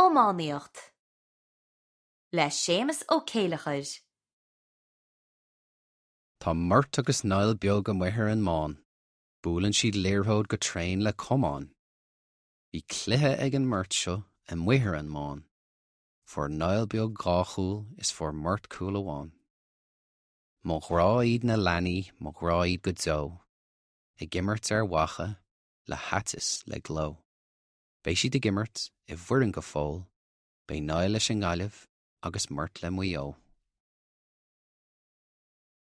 Iománaíocht le Séamus Ó Céileachair. Tá Murt agus Niall Beag amuigh ar an mbán. Buaileann siad liathróid go tréan le camán. Bhí cluiche ag an mbeirt seo amuigh ar an mbán. Fuair Niall Beag dhá chúl is fuair Murt cúl amháin. Mo ghrá iad na leanaí, mo ghrá iad go deo. Ag imirt ar mhaithe le haiteas le gleo. Beidh siad ag imirt i bhfoireann go fóill, beidh Niall leis an nGaillimh agus Murt le Maigh Eo.